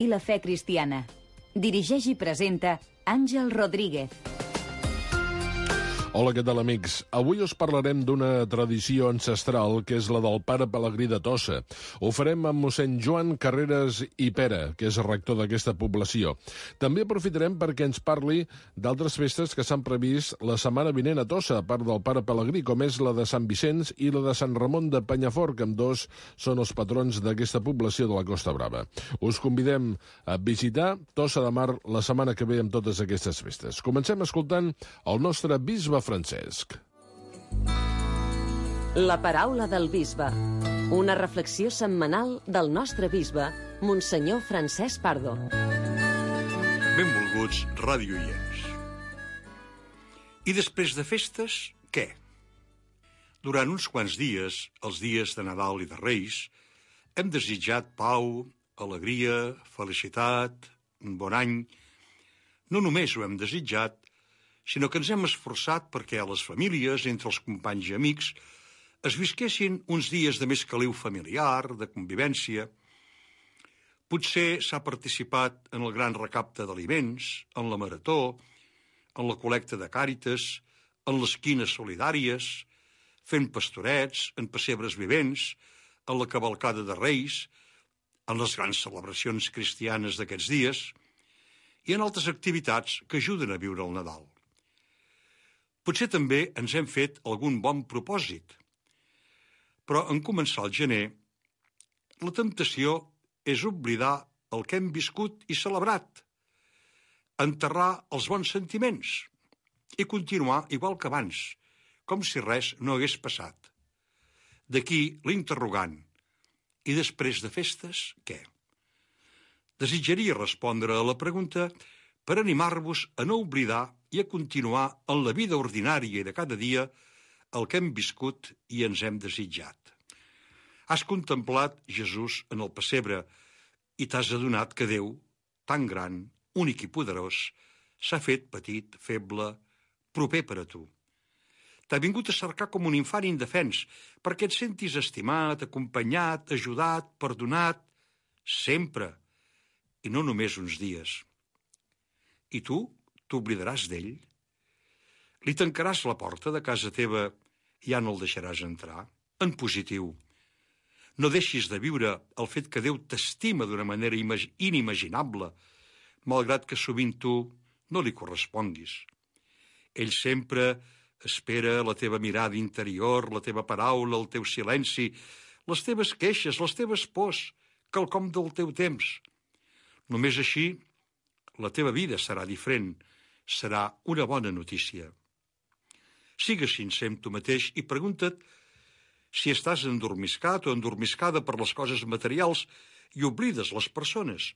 i la fe cristiana. Dirigeix i presenta Àngel Rodríguez. Hola, què tal, amics? Avui us parlarem d'una tradició ancestral que és la del pare Pelegrí de Tossa. Ho farem amb mossèn Joan Carreras i Pera, que és rector d'aquesta població. També aprofitarem perquè ens parli d'altres festes que s'han previst la setmana vinent a Tossa, a part del pare Pelegrí, com és la de Sant Vicenç i la de Sant Ramon de Penyafort, que ambdós són els patrons d'aquesta població de la Costa Brava. Us convidem a visitar Tossa de Mar la setmana que ve amb totes aquestes festes. Comencem escoltant el nostre bisbe Francesc. La paraula del bisbe. Una reflexió setmanal del nostre bisbe, Monsenyor Francesc Pardo. Benvolguts radioients. I després de festes, què? Durant uns quants dies, els dies de Nadal i de Reis, hem desitjat pau, alegria, felicitat, un bon any. No només ho hem desitjat, sinó que ens hem esforçat perquè a les famílies, entre els companys i amics, es visquessin uns dies de més caliu familiar, de convivència. Potser s'ha participat en el gran recapte d'aliments, en la marató, en la col·lecta de Càritas, en les quines solidàries, fent pastorets, en pessebres vivents, en la cavalcada de Reis, en les grans celebracions cristianes d'aquests dies i en altres activitats que ajuden a viure el Nadal. Potser també ens hem fet algun bon propòsit, però en començar el gener, la temptació és oblidar el que hem viscut i celebrat, enterrar els bons sentiments i continuar igual que abans, com si res no hagués passat. D'aquí l'interrogant. I després de festes, què? Desitjaria respondre a la pregunta per animar-vos a no oblidar i a continuar en la vida ordinària i de cada dia el que hem viscut i ens hem desitjat. Has contemplat Jesús en el pessebre i t'has adonat que Déu, tan gran, únic i poderós, s'ha fet petit, feble, proper per a tu. T'ha vingut a cercar com un infant indefens perquè et sentis estimat, acompanyat, ajudat, perdonat, sempre, i no només uns dies. I tu t'oblidaràs d'ell? Li tancaràs la porta de casa teva i ja no el deixaràs entrar? En positiu, no deixis de viure el fet que Déu t'estima d'una manera inimaginable, malgrat que sovint tu no li corresponguis. Ell sempre espera la teva mirada interior, la teva paraula, el teu silenci, les teves queixes, les teves pors, quelcom del teu temps. Només així la teva vida serà diferent, serà una bona notícia. Sigues sincer amb tu mateix i pregunta't si estàs endormiscat o endormiscada per les coses materials i oblides les persones,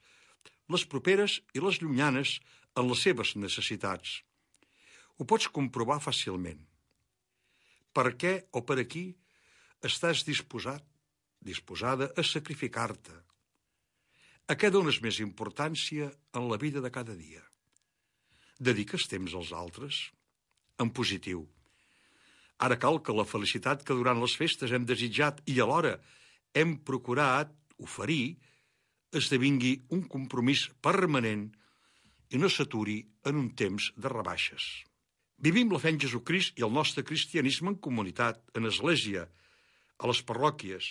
les properes i les llunyanes en les seves necessitats. Ho pots comprovar fàcilment. Per què o per a qui estàs disposada a sacrificar-te? A què dones més importància en la vida de cada dia? Dediques temps als altres? En positiu. Ara cal que la felicitat que durant les festes hem desitjat i alhora hem procurat oferir esdevingui un compromís permanent i no s'aturi en un temps de rebaixes. Vivim la fe en Jesucrist i el nostre cristianisme en comunitat, en església, a les parròquies.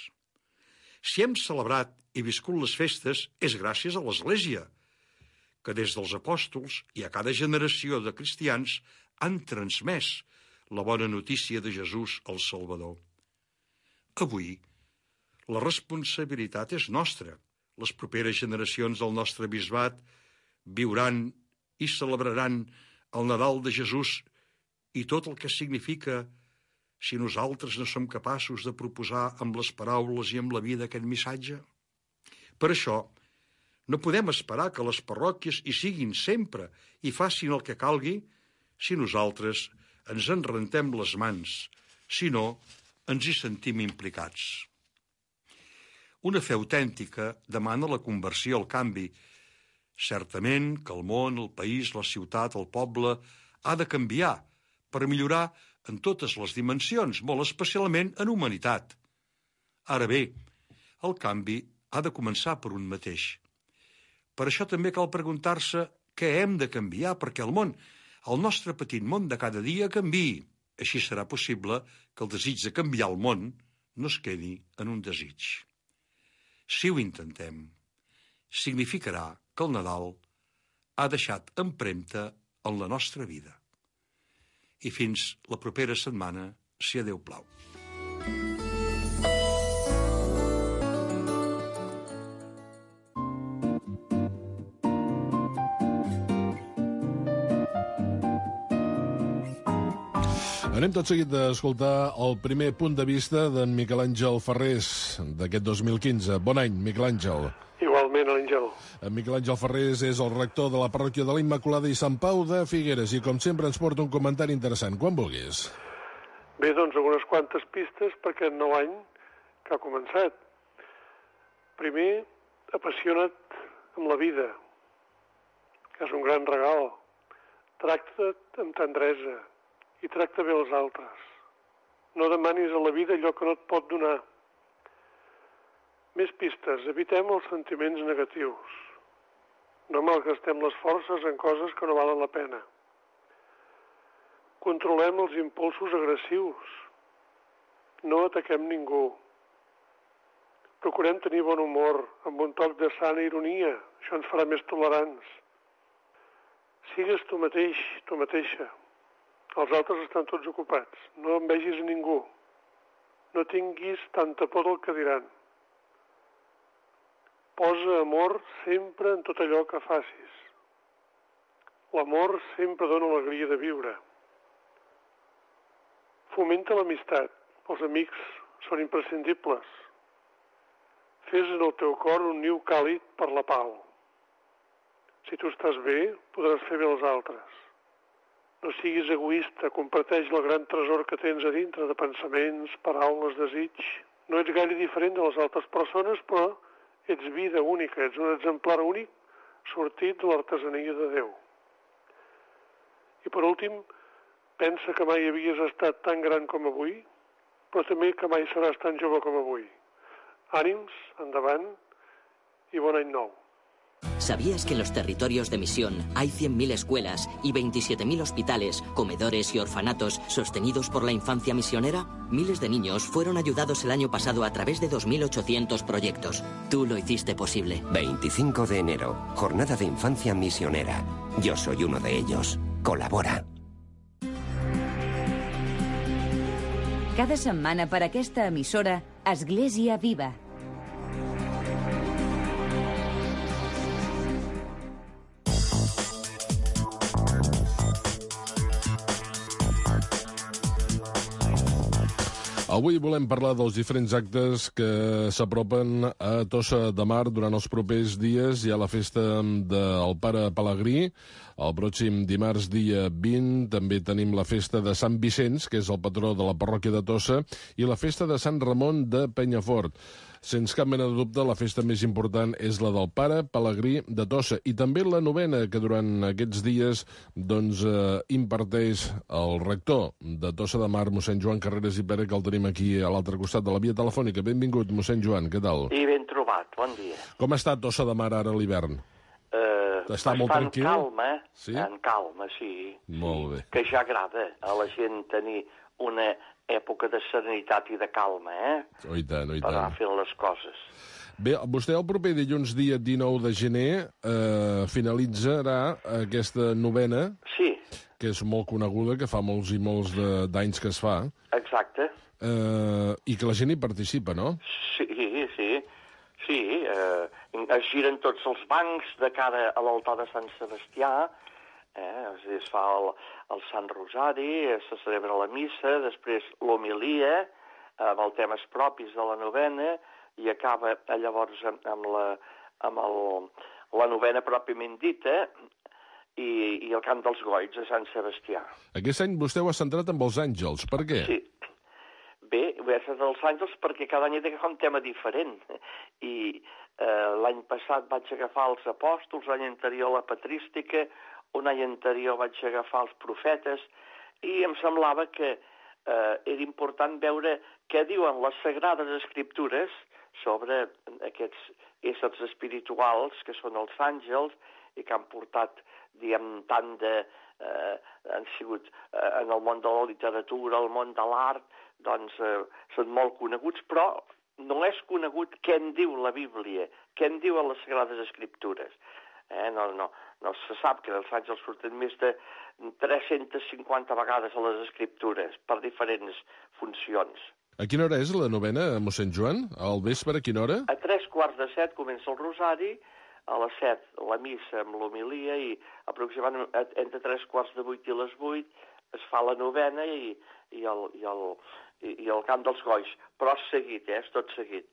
Si hem celebrat i viscut les festes és gràcies a l'Església, que des dels apòstols i a cada generació de cristians han transmès la bona notícia de Jesús el Salvador. Avui, la responsabilitat és nostra. Les properes generacions del nostre bisbat viuran i celebraran el Nadal de Jesús i tot el que significa si nosaltres no som capaços de proposar amb les paraules i amb la vida aquest missatge? Per això, no podem esperar que les parròquies hi siguin sempre i facin el que calgui si nosaltres ens en rentem les mans, si no, ens hi sentim implicats. Una fe autèntica demana la conversió al canvi. Certament que el món, el país, la ciutat, el poble ha de canviar per millorar en totes les dimensions, molt especialment en humanitat. Ara bé, el canvi ha de començar per un mateix. Per això també cal preguntar-se què hem de canviar perquè el nostre petit món de cada dia canviï. Així serà possible que el desig de canviar el món no es quedi en un desig. Si ho intentem, significarà que el Nadal ha deixat empremta en la nostra vida. I fins la propera setmana, si a Déu plau. Anem tot seguit d'escoltar el primer punt de vista d'en Miquel Àngel Ferrés d'aquest 2015. Bon any, Miquel Àngel. Igualment, Àngel. En Miquel Àngel Ferrés és el rector de la parròquia de la Immaculada i Sant Pau de Figueres i, com sempre, ens porta un comentari interessant. Quan vulguis. Bé, doncs, algunes quantes pistes per aquest nou any que ha començat. Primer, apassiona't amb la vida, que és un gran regal. Tracta't amb tendresa i tracta bé els altres. No demanis a la vida allò que no et pot donar. Més pistes. Evitem els sentiments negatius. No malgastem les forces en coses que no valen la pena. Controlem els impulsos agressius. No ataquem ningú. Procurem tenir bon humor, amb un toc de sana ironia. Això ens farà més tolerants. Sigues tu mateix, tu mateixa. Els altres estan tots ocupats. No envegis a ningú. No tinguis tanta por del que diran. Posa amor sempre en tot allò que facis. L'amor sempre dona alegria de viure. Fomenta l'amistat. Els amics són imprescindibles. Fes en el teu cor un niu càlid per la pau. Si tu estàs bé, podràs fer bé als altres. No siguis egoista, comparteix el gran tresor que tens a dintre de pensaments, paraules, desig. No ets gaire diferent de les altres persones, però ets vida única, ets un exemplar únic sortit de l'artesania de Déu. I per últim, pensa que mai havies estat tan gran com avui, però també que mai seràs tan jove com avui. Ànims, endavant i bon any nou. ¿Sabías que en los territorios de misión hay 100.000 escuelas y 27.000 hospitales, comedores y orfanatos sostenidos por la infancia misionera? Miles de niños fueron ayudados el año pasado a través de 2.800 proyectos. Tú lo hiciste posible. 25 de enero, Jornada de Infancia Misionera. Yo soy uno de ellos. Colabora. Cada setmana per aquesta emissora, Església Viva. Avui volem parlar dels diferents actes que s'apropen a Tossa de Mar durant els propers dies. Hi ha la festa del Pare Pelegrí, el pròxim dimarts dia 20. També tenim la festa de Sant Vicenç, que és el patró de la parròquia de Tossa, i la festa de Sant Ramon de Penyafort. Sens cap mena de dubte, la festa més important és la del Pare Pelegrí de Tossa i també la novena que durant aquests dies imparteix el rector de Tossa de Mar, mossèn Joan Carreras i Pere, que el tenim aquí a l'altre costat de la via telefònica. Benvingut, mossèn Joan, què tal? I ben trobat, bon dia. Com està Tossa de Mar ara a l'hivern? Està molt tranquil? Calma, sí? En calma, sí. Molt bé. Que ja agrada a la gent tenir una època de serenitat i de calma, Oh, i tant, oh, i tant. Per anar fent les coses. Bé, vostè el proper dilluns, dia 19 de gener, finalitzarà aquesta novena, Sí. que és molt coneguda, que fa molts i molts d'anys que es fa. Exacte. I que la gent hi participa, no? Sí. Es giren tots els bancs de cara a l'altar de Sant Sebastià, es fa el Sant Rosari, se celebra la missa, després l'homilia, amb els temes propis de la novena, i acaba llavors amb la novena pròpiament dita, i el cant dels goigs a Sant Sebastià. Aquest any vostè ho ha centrat amb els àngels. Per què? Sí. Bé, ho he centrat als àngels perquè cada any he d'agafar un tema diferent. I l'any passat vaig agafar els apòstols, l'any anterior la patrística, un any anterior vaig agafar els profetes, i em semblava que era important veure què diuen les Sagrades Escriptures sobre aquests éssers espirituals, que són els àngels, i que han portat, diguem, tant de... han sigut en el món de la literatura, el món de l'art, doncs són molt coneguts, però no és conegut què en diu la Bíblia, què en diuen les Sagrades Escriptures. No se sap que els àngels surten més de 350 vegades a les Escriptures per diferents funcions. A quina hora és la novena, mossèn Joan? Al vespre, a quina hora? A 3:45 comença el rosari, a les 7 la missa amb l'homilia i aproximadament entre 7:45 i les 8 es fa la novena i el cant dels goix, però és seguit, és tot seguit.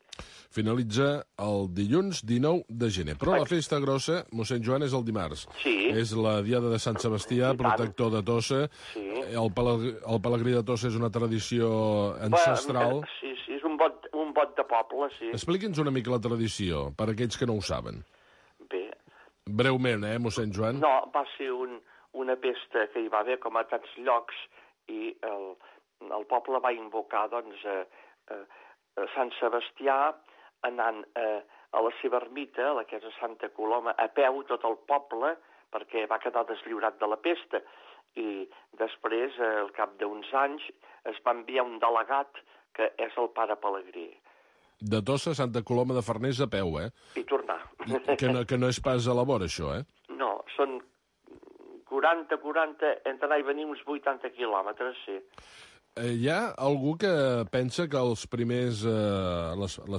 Finalitza el dilluns 19 de gener. Però la festa grossa, mossèn Joan, és el dimarts. Sí. És la diada de Sant Sebastià, protector de Tossa. Sí. El pelegrí de Tossa és una tradició ancestral. Sí, és un bot de poble, sí. Expliqui'ns una mica la tradició, per a aquells que no ho saben. Bé. Breument, mossèn Joan? No, va ser una pesta que hi va haver, com a tants llocs, i el poble va invocar, doncs, Sant Sebastià, anant a la seva ermita, la que és a Santa Coloma, a peu tot el poble, perquè va quedar deslliurat de la pesta. I després, al cap d'uns anys, es va enviar un delegat, que és el pare Pelegrí. De Tossa a Santa Coloma de Farners a peu, I tornar. Que no és pas a la vora, això, No, són 40, entre anar i venir uns 80 quilòmetres, sí. Hi ha algú que pensa que les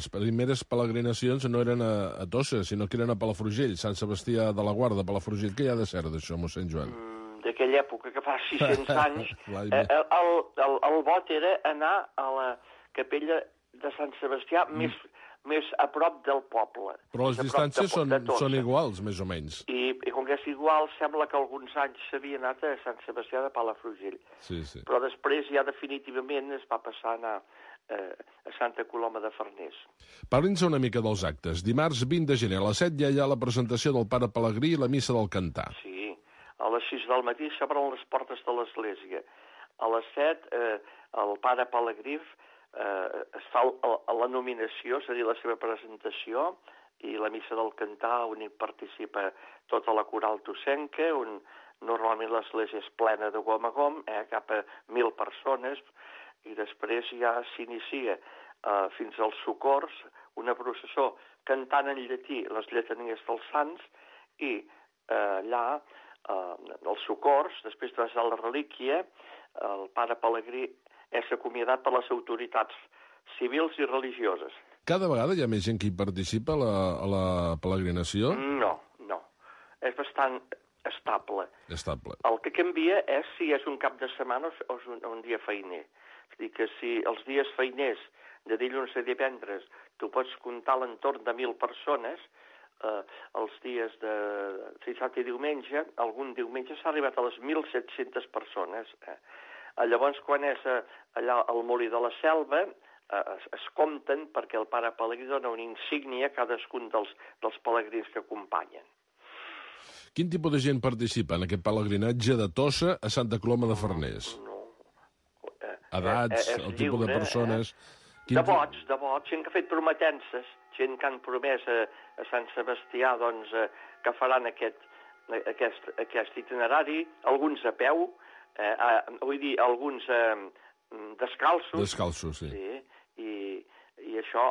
primeres peregrinacions no eren a Tossa, sinó que eren a Palafrugell, Sant Sebastià de la Guarda, Palafrugell. Què hi ha de cert d'això, mossèn Joan? D'aquella època, que fa 600 anys, el vot era anar a la capella de Sant Sebastià més a prop del poble. Però les distàncies són iguals, més o menys. I com que és igual, sembla que alguns anys s'havia anat a Sant Sebastià de Palafrugell. Sí. Però després ja definitivament es va passar a anar a Santa Coloma de Farners. Parli'ns una mica dels actes. Dimarts 20 de gener a les 7 ja hi ha la presentació del pare Pelegrí i la missa del Cantar. Sí, a les 6 del matí s'obren les portes de l'església. A les 7 el pare Pelegrí es fa la nominació, és a dir, la seva presentació, i la missa del Cantar, on hi participa tota la coral tossenca, on normalment l'església és plena de gom a gom, cap a 1.000 persones, i després ja s'inicia fins als socors, una processó cantant en llatí les lletanies dels sants, i allà, els socors, després de la relíquia, el pare Pelegrí és acomiadat per les autoritats civils i religioses. Cada vegada hi ha més gent que hi participa a la peregrinació? No. És bastant estable. Estable. El que canvia és si és un cap de setmana o és un dia feiner. És a dir, que si els dies feiners de dilluns a divendres tu pots comptar a l'entorn de 1.000 persones, els dies de dissabte i diumenge, algun diumenge s'ha arribat a les 1.700 persones. Llavors, quan és allà al Molí de la Selva, es compten perquè el pare Pelegrí dona una insígnia a cadascun dels pelegrins que acompanyen. Quin tipus de gent participa en aquest pelegrinatge de Tossa a Santa Coloma de Farners? Edats, el tipus de persones... De vots, gent que ha fet prometences, gent que han promès a Sant Sebastià doncs, que faran aquest itinerari, alguns a peu, vull dir, alguns descalços. Descalços, sí. I això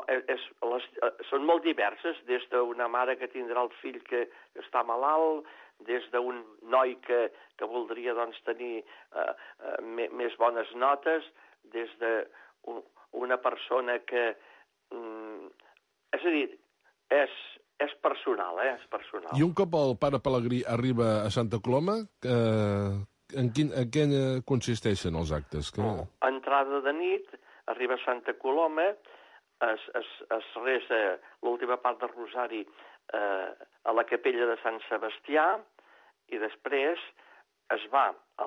són molt diverses, des d'una mare que tindrà el fill que està malalt, des d'un noi que voldria doncs, tenir més bones notes, des d'una persona que... és a dir, és personal, és personal. I un cop el pare Pelegrí arriba a Santa Coloma, en què consisteixen els actes? Entrada de nit, arriba a Santa Coloma, es resa l'última part del rosari a la capella de Sant Sebastià, i després es va a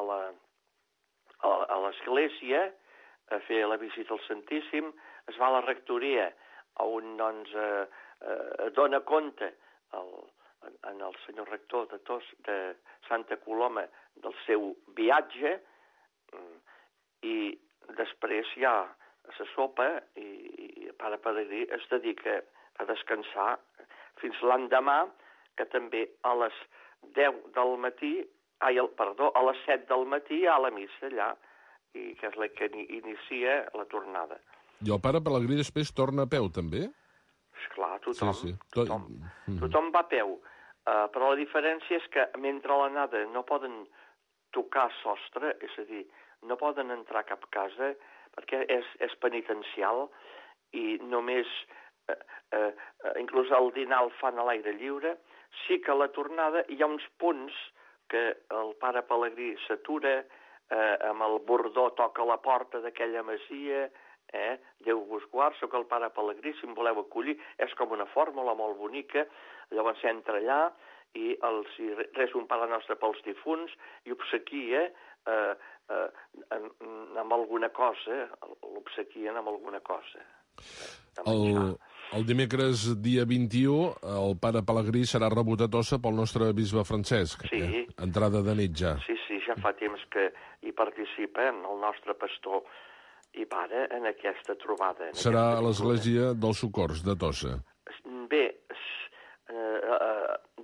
l'església a fer la visita al Santíssim, es va a la rectoria, on doncs, dona compte en el senyor rector de Santa Coloma del seu viatge, i després ja se sopa i el pare Pelegrí es dedica a descansar. fins l'endemà, que també a les 10 del matí, a les 7 del matí hi ha la missa allà, i que és la que inicia la tornada. I el pare Pelegrí després torna a peu, també? Esclar, tothom. Sí. Tothom va a peu. Però la diferència és que mentre l'anada no poden tocar sostre, és a dir, no poden entrar a cap casa perquè és penitencial i només, inclús el dinar el fan a l'aire lliure. Sí que a la tornada hi ha uns punts que el pare Pelegrí s'atura, amb el bordó toca la porta d'aquella masia, Déu vos guard, soc el pare Pelegrí, si em voleu acollir, és com una fórmula molt bonica, llavors entra allà i els resa un Pare Nostre pels difunts i obsequia amb alguna cosa, l'obsequien amb alguna cosa. El dimecres dia 21 el pare Pelegrí serà rebut a Tossa pel nostre bisbe Francesc. Sí. Entrada de nit ja. Sí, ja fa temps que hi participa el nostre pastor i pare en aquesta trobada. Serà a l'església dels Socors de Tossa. Bé,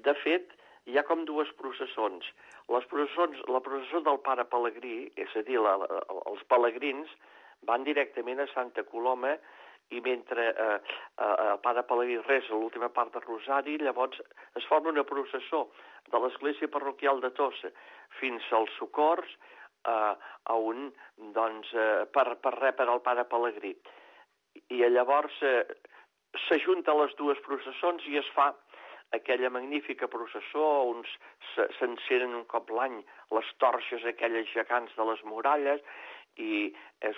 de fet, hi ha com dues processons. La processó del pare Pelegrí, és a dir, els pelegrins, van directament a Santa Coloma i mentre el pare Pelegrí resa l'última part del Rosari, llavors es forma una processó de l'església parroquial de Tossa fins als Socors, per rebre el pare Pelegrí. I llavors s'ajunta les dues processons i es fa aquella magnífica processó on s'encenen un cop l'any les torxes aquelles gegants de les muralles i és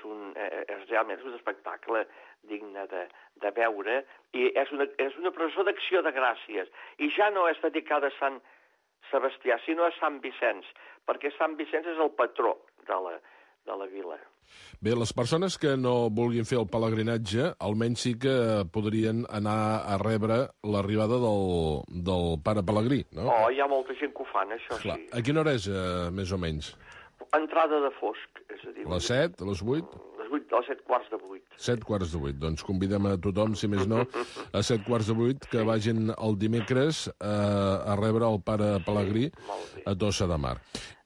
realment un espectacle digne de veure i és una processó d'acció de gràcies i ja no és dedicada a Sant Sebastià, sinó a Sant Vicenç, perquè Sant Vicenç és el patró de la vila. Bé, les persones que no vulguin fer el pelegrinatge, almenys sí que podrien anar a rebre l'arribada del pare Pelegrí, no? Hi ha molta gent que ho fan, això. Clar. Sí. A quina hora és, més o menys? Entrada de fosc, és a dir... A les 7, a les 8? A les 7 quarts de 8. 7 quarts de 8. Doncs convidem a tothom, si més no, a 7 quarts de 8, que vagin el dimecres a rebre el pare Pelegrí a Tossa de Mar.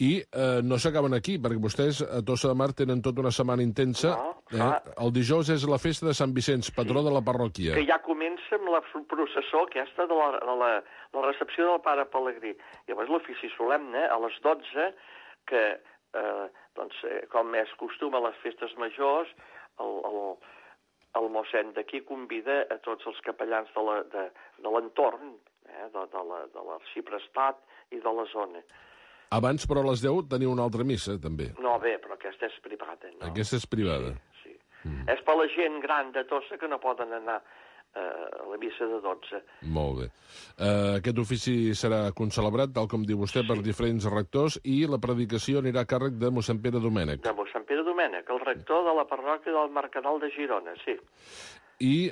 I no s'acaben aquí, perquè vostès a Tossa de Mar tenen tota una setmana intensa. El dijous és la festa de Sant Vicenç, patró de la parròquia. Que ja comença amb la processó aquesta de la recepció del pare Pelegrí. Llavors l'ofici solemne a les 12, que... com és costum a les festes majors, el mossèn d'aquí convida a tots els capellans de l'entorn, de l'arxiprestat i de la zona. Abans, però, a les 10 teniu una altra missa, també. No, bé, però aquesta és privada. No? Aquesta és privada. Sí. És per la gent gran de Tossa que no poden anar a la missa de 12. Molt bé. Aquest ofici serà concelebrat, tal com diu vostè, per diferents rectors, i la predicació anirà a càrrec de mossèn Pere Domènech. De mossèn Pere Domènech, el rector de la parròquia del Mercadal de Girona, sí. I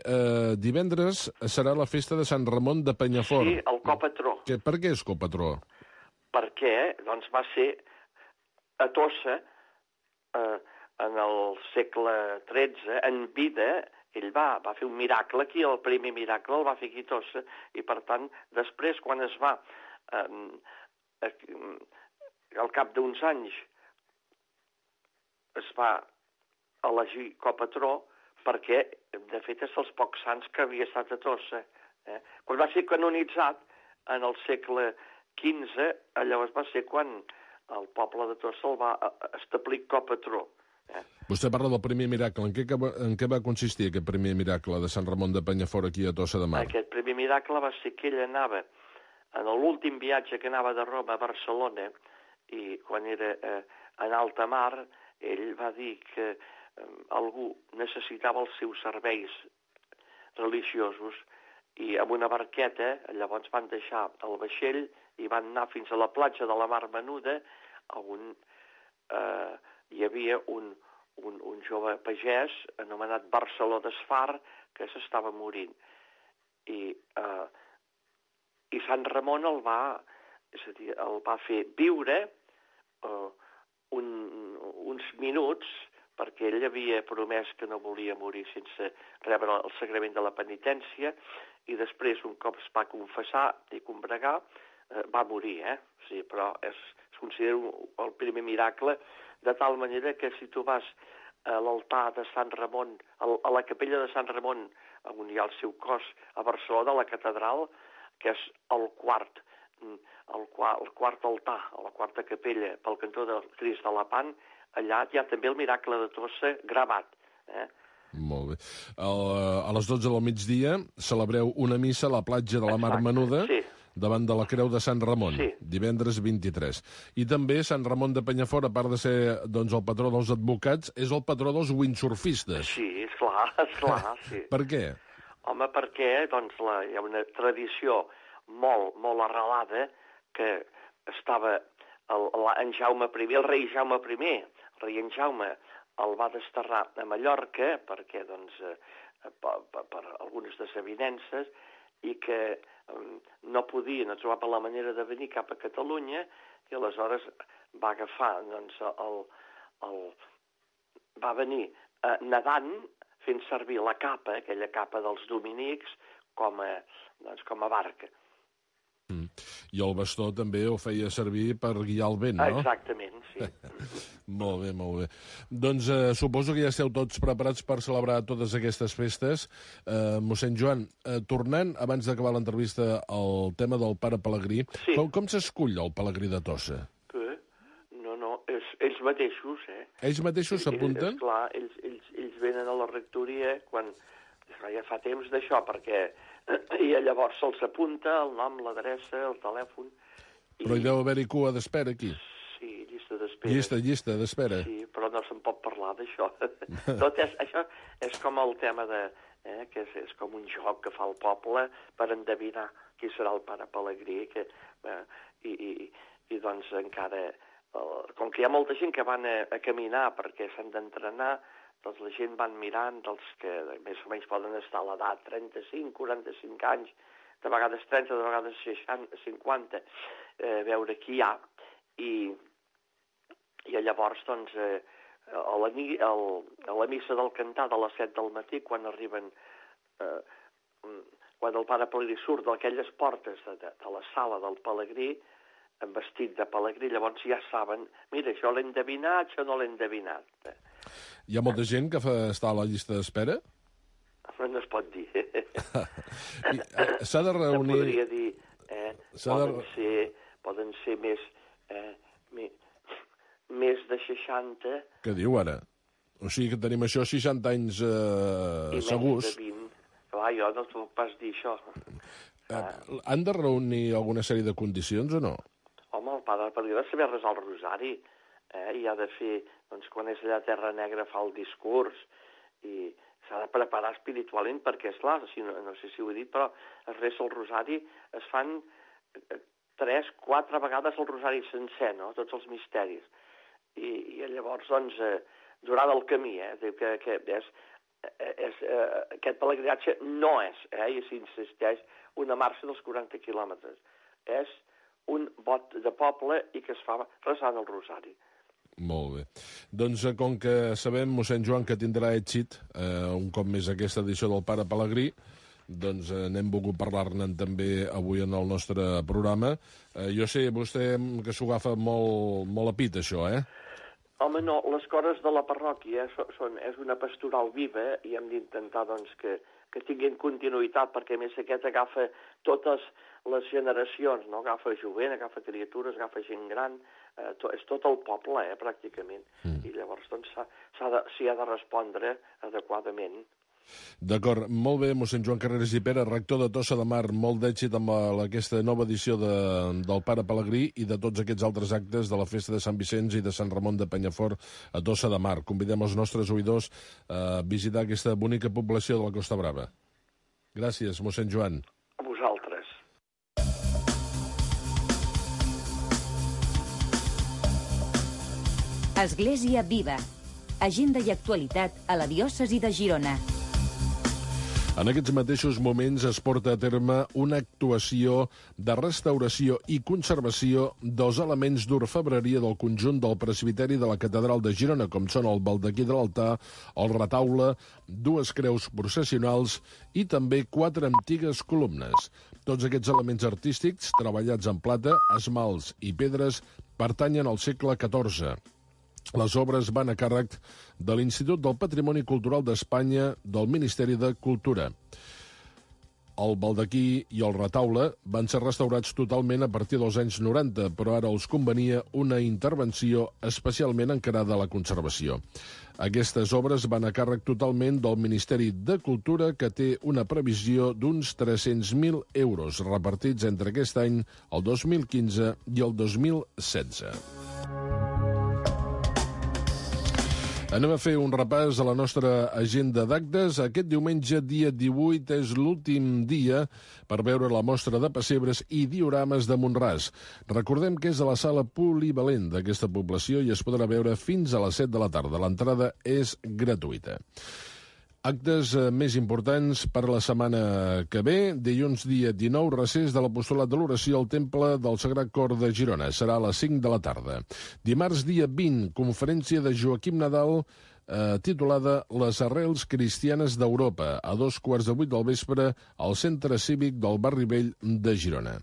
divendres serà la festa de Sant Ramon de Penyafort. Sí, el copatró. Per què és copatró? Perquè, doncs, va ser a Tossa, en el segle XIII, en vida... Ell va fer un miracle aquí, el primer miracle el va fer aquí a Tossa, i per tant, després, quan es va, al cap d'uns anys, es va elegir copatró, perquè, de fet, és dels pocs sants que havia estat a Tossa. Quan va ser canonitzat, en el segle XV, llavors va ser quan el poble de Tossa el va establir copatró. Vostè parla del primer miracle. En què va consistir aquest primer miracle de Sant Ramon de Penyafort aquí a Tossa de Mar? Aquest primer miracle va ser que ell anava, en l'últim viatge que anava de Roma a Barcelona, i quan era en alta mar, ell va dir que algú necessitava els seus serveis religiosos, i amb una barqueta, llavors van deixar el vaixell i van anar fins a la platja de la Mar Menuda, on hi havia un jove pagès anomenat Barceló d'Esfar que s'estava morint. I Sant Ramon el va fer viure uns minuts, perquè ell havia promès que no volia morir sense rebre el sagrament de la penitència, i després, un cop es va confessar i combregar, va morir, Sí, però es considera el primer miracle, de tal manera que si tu vas a l'altar de Sant Ramon, a la capella de Sant Ramon, on hi ha el seu cos a Barcelona, a la catedral, que és el quart altar, a la quarta capella, pel cantó del Crist de Lepant, allà hi ha també el miracle de Tossa gravat. Molt bé. A les 12 del migdia celebreu una missa a la platja de la Mar Menuda, davant de la Creu de Sant Ramon, divendres 23. I també Sant Ramon de Penyafort, a part de ser el patró dels advocats, és el patró dels windsurfistes. Sí, esclar, sí. Per què? Home, perquè hi ha una tradició molt arrelada que estava en Jaume I, el rei Jaume I, el rei en Jaume el va desterrar a Mallorca perquè, per algunes desavinences, i que no trobava la manera de venir cap a Catalunya, i aleshores va agafar, va venir nedant, fent servir la capa, aquella capa dels dominics, com a barca. I el bastó també ho feia servir per guiar el vent, no? Exactament, sí. Molt bé. Doncs suposo que ja esteu tots preparats per celebrar totes aquestes festes. Mossèn Joan, tornant, abans d'acabar l'entrevista, al tema del pare Pelegrí, com s'escull el Pelegrí de Tossa? No, ells mateixos, Ells mateixos s'apunten? Esclar, ells venen a la rectoria quan ja fa temps d'això, perquè i llavors se'ls apunta el nom, l'adreça, el telèfon. Però hi deu haver-hi cua d'espera, aquí. Sí, llista d'espera. Llista d'espera. Sí, però no se'n pot parlar d'això. Això és com el tema que és com un joc que fa el poble per endevinar qui serà el pare Pelegrí, i doncs encara, com que hi ha molta gent que van a caminar perquè s'han d'entrenar, doncs la gent van mirant dels que més o menys poden estar a l'edat 35, 45 anys, de vegades 30, de vegades 60, 50, veure qui hi ha. I llavors, doncs, a la missa del cantar de les 7 del matí, quan arriben, quan el pare Pelegrí surt d'aquelles portes de la sala del Pelegrí, amb vestit de Pelegrí, llavors ja saben, mira, això l'he endevinat, això no l'he endevinat. Hi ha molta gent que està a la llista d'espera? No es pot dir. S'ha de reunir... Podria dir, poden ser més de 60... Què diu ara? O sigui que tenim això 60 anys segurs. I més de 20. Clar, jo no t'ho puc pas dir, això. Han de reunir alguna sèrie de condicions o no? Home, el pare Pelegrí ha de saber resar el rosari, i ha de fer, doncs, quan és allà a Terra Negra fa el discurs, i s'ha de preparar espiritualment, perquè, esclar, no sé si ho he dit, però es resa el rosari, es fan 3-4 vegades el rosari sencer, no?, tots els misteris. I llavors, doncs, durant el camí, que aquest pelegrinatge no és, i s'insisteix, una marxa dels 40 quilòmetres. És un vot de poble i que es fa resant el rosari. Molt bé. Doncs com que sabem, mossèn Joan, que tindrà èxit un cop més aquesta edició del pare Pelegrí, doncs n'hem volgut parlar-ne també avui en el nostre programa. Jo sé, vostè, que s'ho agafa molt a pit, això, Home, no, les cores de la parròquia és una pastoral viva i hem d'intentar, doncs, que tinguin continuïtat, perquè a més aquest agafa totes les generacions, no? Agafa jovent, agafa criatures, agafa gent gran, és tot el poble, pràcticament. I llavors, doncs, s'hi ha de respondre adequadament. D'acord, molt bé, mossèn Joan Carreras i Pera, rector de Tossa de Mar, molt d'èxit amb aquesta nova edició del pare Pelegrí i de tots aquests altres actes de la festa de Sant Vicenç i de Sant Ramon de Penyafort a Tossa de Mar. Convidem els nostres oïdors a visitar aquesta bonica població de la Costa Brava. Gràcies, mossèn Joan. A vosaltres. Església Viva. Agenda i actualitat a la diòcesi de Girona. En aquests mateixos moments es porta a terme una actuació de restauració i conservació dels elements d'orfebreria del conjunt del presbiteri de la Catedral de Girona, com són el baldaquí de l'altar, el retaule, 2 creus processionals i també 4 antigues columnes. Tots aquests elements artístics, treballats en plata, esmalts i pedres, pertanyen al segle XIV. Les obres van a càrrec de l'Institut del Patrimoni Cultural d'Espanya del Ministeri de Cultura. El baldaquí i el retaule van ser restaurats totalment a partir dels anys 90, però ara els convenia una intervenció especialment encarada a la conservació. Aquestes obres van a càrrec totalment del Ministeri de Cultura, que té una previsió d'uns 300.000 euros repartits entre aquest any, el 2015 i el 2016. Anem a fer un repàs a la nostra agenda d'actes. Aquest diumenge, dia 18, és l'últim dia per veure la mostra de pessebres i diorames de Mont-ras. Recordem que és a la sala polivalent d'aquesta població i es podrà veure fins a les 7 de la tarda. L'entrada és gratuïta. Actes més importants per la setmana que ve. Dilluns, dia 19, recés de l'Apostolat de l'Oració al Temple del Sagrat Cor de Girona. Serà a les 5 de la tarda. Dimarts, dia 20, conferència de Joaquim Nadal, titulada Les arrels cristianes d'Europa, a 7:15 del vespre, al Centre Cívic del Barri Vell de Girona.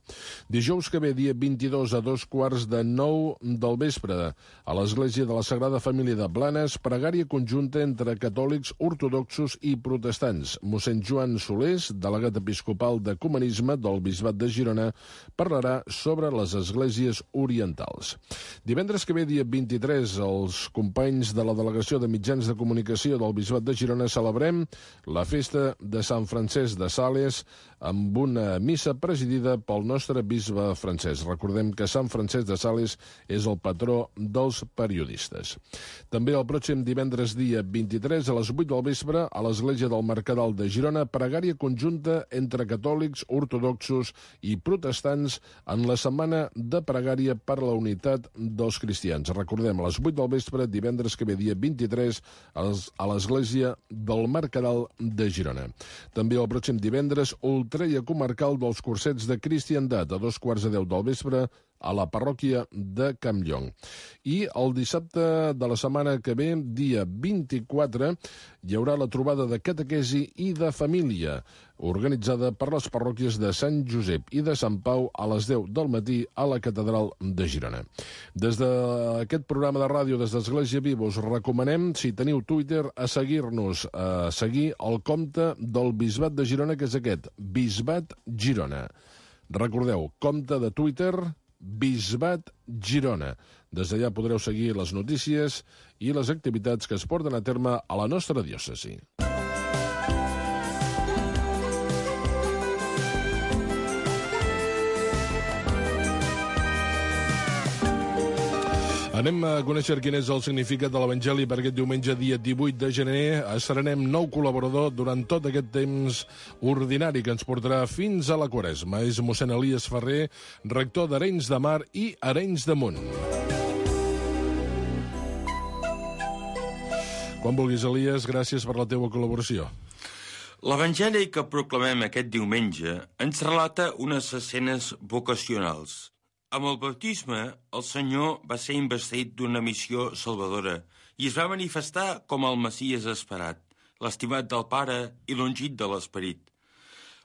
Dijous que ve, dia 22, a 8:45 del vespre, a l'Església de la Sagrada Família de Blanes, pregària conjunta entre catòlics, ortodoxos i protestants. Mossèn Joan Solés, delegat episcopal d'Ecumenisme del Bisbat de Girona, parlarà sobre les esglésies orientals. Divendres que ve, dia 23, els companys de la Delegació de Mitjans de Comunicació del Bisbat de Girona celebrem la festa de Sant Francesc de Sales amb una missa presidida pel nostre bisbe francès. Recordem que Sant Francesc de Sales és el patró dels periodistes. També el pròxim divendres, dia 23, a les 8 del vespre, a l'Església del Mercadal de Girona, pregària conjunta entre catòlics, ortodoxos i protestants en la setmana de pregària per la unitat dels cristians. Recordem, a les 8 del vespre, divendres que ve, dia 23, a l'Església del Mercadal de Girona. També el pròxim divendres, ultreia comarcal dels cursets de cristiandat, a 9:15 del vespre, a la parròquia de Campllong. I el dissabte de la setmana que ve, dia 24, hi haurà la trobada de catequesi i de família, organitzada per les parròquies de Sant Josep i de Sant Pau a les 10 del matí a la Catedral de Girona. Des d'aquest programa de ràdio, des d'Església Viva, us recomanem, si teniu Twitter, a seguir-nos, a seguir el compte del Bisbat de Girona, que és aquest, Bisbat Girona. Recordeu, compte de Twitter, Bisbat Girona. Des d'allà podreu seguir les notícies i les activitats que es porten a terme a la nostra diòcesi. Anem a conèixer quin és el significat de l'Evangeli per aquest diumenge, dia 18 de gener. Estrenem nou col·laborador durant tot aquest temps ordinari que ens portarà fins a la Quaresma. És mossèn Elies Ferrer, rector d'Arenys de Mar i Arenys de Munt. Quan vulguis, Elies, gràcies per la teva col·laboració. L'Evangeli que proclamem aquest diumenge ens relata unes escenes vocacionals. Amb el baptisme, el Senyor va ser investit d'una missió salvadora i es va manifestar com el Messies esperat, l'estimat del Pare i l'ungit de l'Esperit.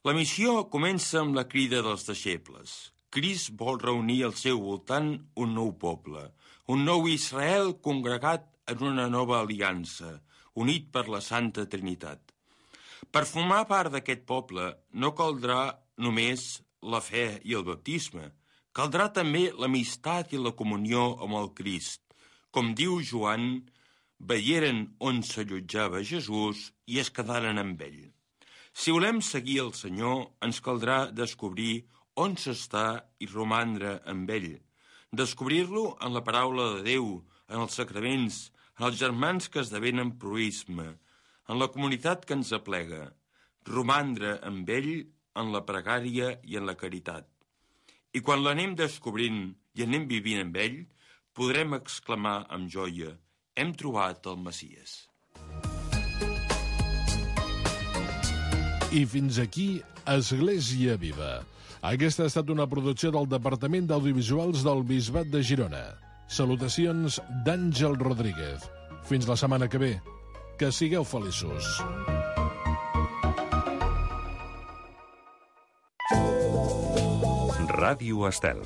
La missió comença amb la crida dels deixebles. Crist vol reunir al seu voltant un nou poble, un nou Israel congregat en una nova aliança, unit per la Santa Trinitat. Per formar part d'aquest poble no caldrà només la fe i el baptisme, caldrà també l'amistat i la comunió amb el Crist. Com diu Joan, veieren on s'allotjava Jesús i es quedaren amb ell. Si volem seguir el Senyor, ens caldrà descobrir on s'està i romandre amb ell. Descobrir-lo en la paraula de Déu, en els sacraments, en els germans que esdevenen proïsme, en la comunitat que ens aplega. Romandre amb ell en la pregària i en la caritat. I quan l'anem descobrint i anem vivint amb ell, podrem exclamar amb joia: hem trobat el Messies. I fins aquí Església Viva. Aquesta ha estat una producció del Departament d'Audiovisuals del Bisbat de Girona. Salutacions d'Àngel Rodríguez. Fins la setmana que ve. Que sigueu feliços. Ràdio Estel.